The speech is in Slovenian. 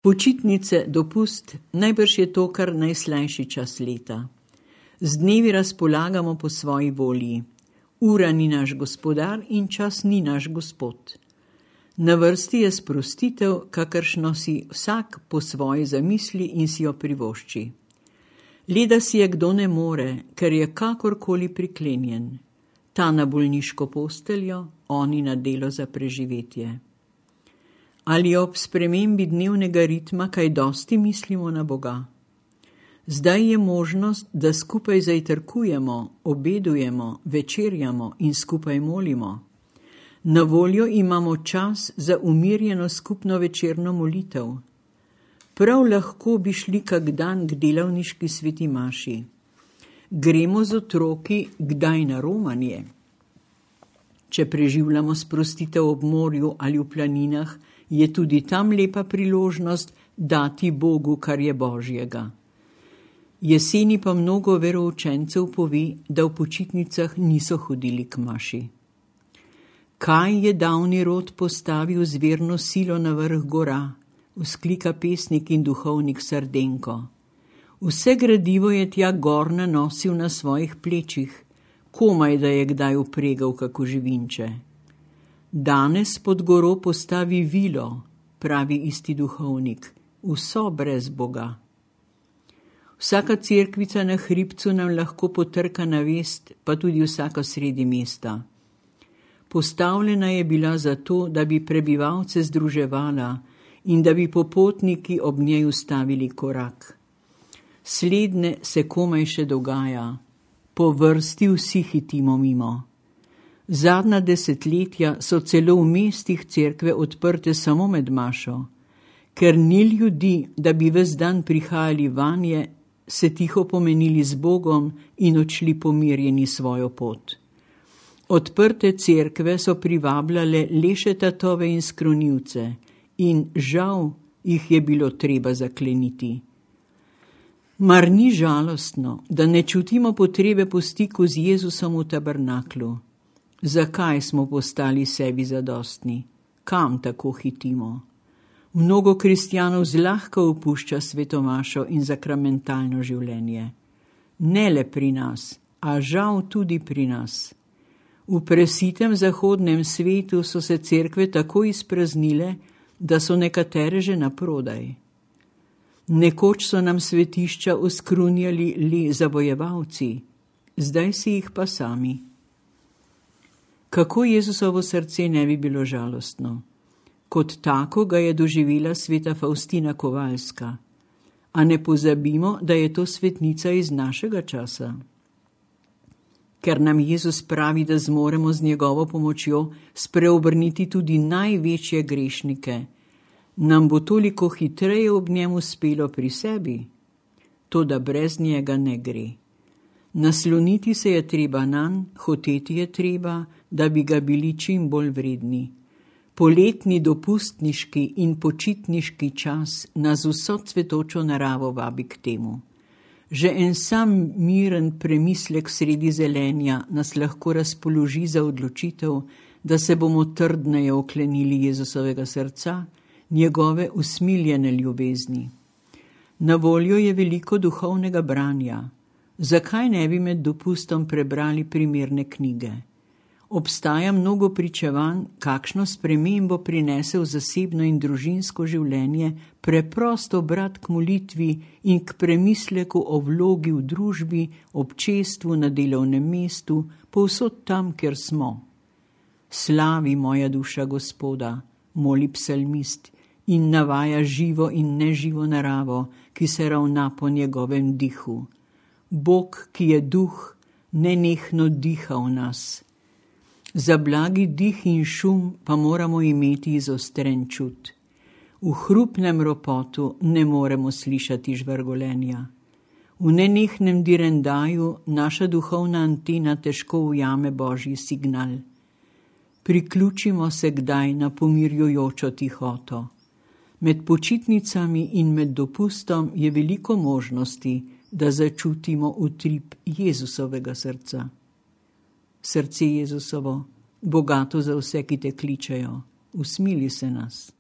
Počitnice, dopust, najbrž je to kar najslajši čas leta. Z dnevi razpolagamo po svoji volji. Ura ni naš gospodar in čas ni naš gospod. Na vrsti je sprostitev, kakršno si vsak po svoji zamisli in si jo privošči. Leda si je kdo ne more, ker je kakorkoli priklenjen. Ta na bolniško posteljo, oni na delo za preživetje. Ali ob spremembi dnevnega ritma kaj dosti mislimo na Boga? Zdaj je možnost, da skupaj zajtrkujemo, obedujemo, večerjamo in skupaj molimo. Na voljo imamo čas za umirjeno skupno večerno molitev. Prav lahko bi šli kak dan k delavniški sveti maši. Gremo z otroki kdaj na romanje. Če preživljamo sprostitev ob morju ali v planinah, je tudi tam lepa priložnost dati Bogu, kar je Božjega. Jeseni pa mnogo veroučencev pove, da v počitnicah niso hodili k maši. Kaj je davni rod postavil zverno silo na vrh gora, vzklika pesnik in duhovnik Srdenko. Vse gradivo je tja gor nanosil na svojih plečih, komaj da je kdaj upregal kako živinče. Danes pod goro postavi vilo, pravi isti duhovnik, vso brez Boga. Vsaka cerkvica na hribcu nam lahko potrka na vest, pa tudi vsaka sredi mesta. Postavljena je bila zato, da bi prebivalce združevala in da bi popotniki ob njej ustavili korak. Slednje se komaj še dogaja, po vrsti vsi hitimo mimo. Zadnja desetletja so celo v mestih cerkve odprte samo med mašo. Ker ni ljudi, da bi ves dan prihajali vanje, se tiho pomenili z Bogom in odšli pomirjeni svojo pot. Odprte cerkve so privabljale leše tatove in skronivce in žal jih je bilo treba zakleniti. Mar ni žalostno, da ne čutimo potrebe po stiku z Jezusom v tabernaklu? Zakaj smo postali sebi zadostni? Kam tako hitimo? Mnogo kristjanov zlahka opušča svetomašo in sakramentalno življenje. Ne le pri nas, a žal tudi pri nas. V presitem zahodnem svetu so se cerkve tako izpraznile, da so nekatere že naprodaj. Nekoč so nam svetišča oskrunjali le zavojevalci, zdaj si jih pa sami. Kako Jezusovo srce ne bi bilo žalostno? Kot tako ga je doživela sveta Faustina Kovalska. A ne pozabimo, da je to svetnica iz našega časa. Ker nam Jezus pravi, da zmoremo z njegovo pomočjo spreobrniti tudi največje grešnike, nam bo toliko hitreje ob njem uspelo pri sebi, toda brez njega ne gre. Nasloniti se je treba nanj, hoteti je treba, da bi ga bili čim bolj vredni. Poletni dopustniški in počitniški čas nas vso cvetočo naravo vabi k temu. Že en sam miren premislek sredi zelenja nas lahko razpoloži za odločitev, da se bomo trdneje oklenili Jezusovega srca, njegove usmiljene ljubezni. Na voljo je veliko duhovnega branja. Zakaj ne bi med dopustom prebrali primerne knjige? Obstaja mnogo pričevanj, kakšno spremembo prinese v zasebno in družinsko življenje preprosto obrat k molitvi in k premisleku o vlogi v družbi, občestvu, na delovnem mestu, povsod tam, kjer smo. Slavi moja duša Gospoda, moli psalmist in navaja živo in neživo naravo, ki se ravna po njegovem dihu. Bog, ki je duh, nenehno diha v nas. Za blagi dih in šum pa moramo imeti izostren čut. V hrupnem ropotu ne moremo slišati žvrgolenja. V nenehnem direndaju naša duhovna antena težko ujame Božji signal. Priključimo se kdaj na pomirjujočo tihoto. Med počitnicami in med dopustom je veliko možnosti, da začutimo utrip Jezusovega srca. Srce Jezusovo, bogato za vse, ki te kličejo, usmili se nas.